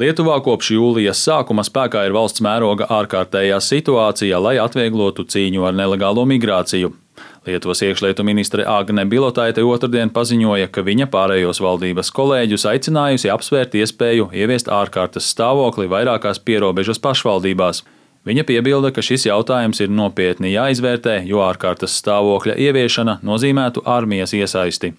Lietuvā kopš jūlijas sākuma spēkā ir valsts mēroga ārkārtējā situācija, lai atvieglotu cīņu ar nelegālo migrāciju. Lietuvas iekšlietu ministre Agne Bilotaite otrdien paziņoja, ka viņa pārējos valdības kolēģus aicinājusi apsvērt iespēju ieviest ārkārtas stāvokli vairākās pierobežas pašvaldībās. Viņa piebilda, ka šis jautājums ir nopietni jāizvērtē, jo ārkārtas stāvokļa ieviešana nozīmētu armijas iesaisti.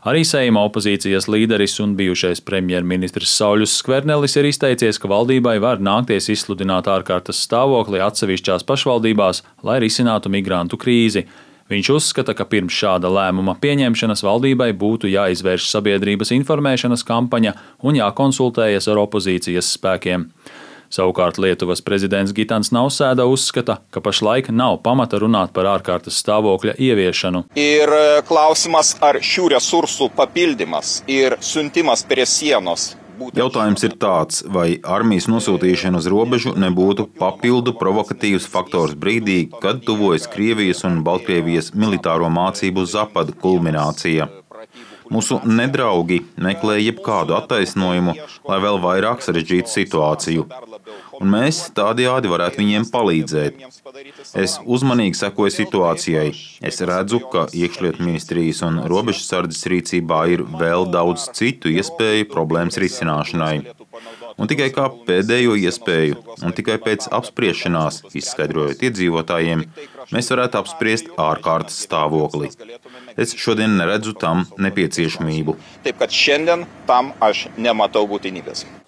Arī Seima opozīcijas līderis un bijušais premjerministrs Sauļus Skvernelis ir izteicies, ka valdībai var nākties izsludināt ārkārtas stāvokli atsevišķās pašvaldībās, lai risinātu migrantu krīzi. Viņš uzskata, ka pirms šāda lēmuma pieņemšanas valdībai būtu jāizvērš sabiedrības informēšanas kampaņa un jākonsultējas ar opozīcijas spēkiem. Savukārt Lietuvas prezidents Gitans Nausēda uzskata, ka pašlaik nav pamata runāt par ārkārtas stāvokļa ieviešanu. Ir klausimas, ar šių resursų papildymas ir siuntimas prie sienos. Jautājums ir tāds, vai armijas nosūtīšana uz robežu nebūtu papildu provokatīvs faktors brīdī, kad tuvojas Krievijas un Baltkrievijas militāro mācību zapadu kulminācija. Mūsu nedraugi meklē jebkādu attaisnojumu, lai vēl vairāk sarežģītu situāciju. Un mēs tādējādi varētu viņiem palīdzēt. Es uzmanīgi sekoju situācijai. Es redzu, ka iekšlietu ministrijas un robežsardzes rīcībā ir vēl daudz citu iespēju problēmas risināšanai. Un tikai kā pēdējo iespēju, un tikai pēc apspriešanās, izskaidrojot iedzīvotājiem, mēs varētu apspriest ārkārtas stāvokli. Es šodien neredzu tam nepieciešamību.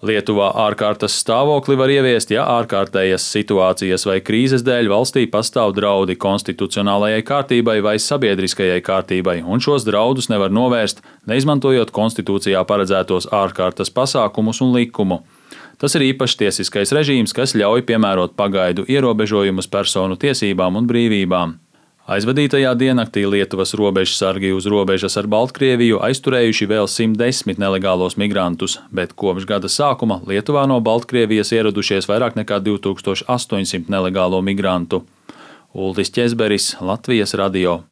Lietuvā ārkārtas stāvokli var ieviest, ja ārkārtējas situācijas vai krīzes dēļ valstī pastāv draudi konstitucionālajai kārtībai vai sabiedriskajai kārtībai, un šos draudus nevar novērst, neizmantojot konstitūcijā paredzētos ārkārtas pasākumus un likumu. Tas ir īpašs tiesiskais režīms, kas ļauj piemērot pagaidu ierobežojumus personu tiesībām un brīvībām. Aizvadītajā diennaktī Lietuvas robežsargi uz robežas ar Baltkrieviju aizturējuši vēl 110 nelegālos migrantus, bet kopš gada sākuma Lietuvā no Baltkrievijas ieradušies vairāk nekā 2800 nelegālo migrantu. Uldis Ķezberis, Latvijas radio.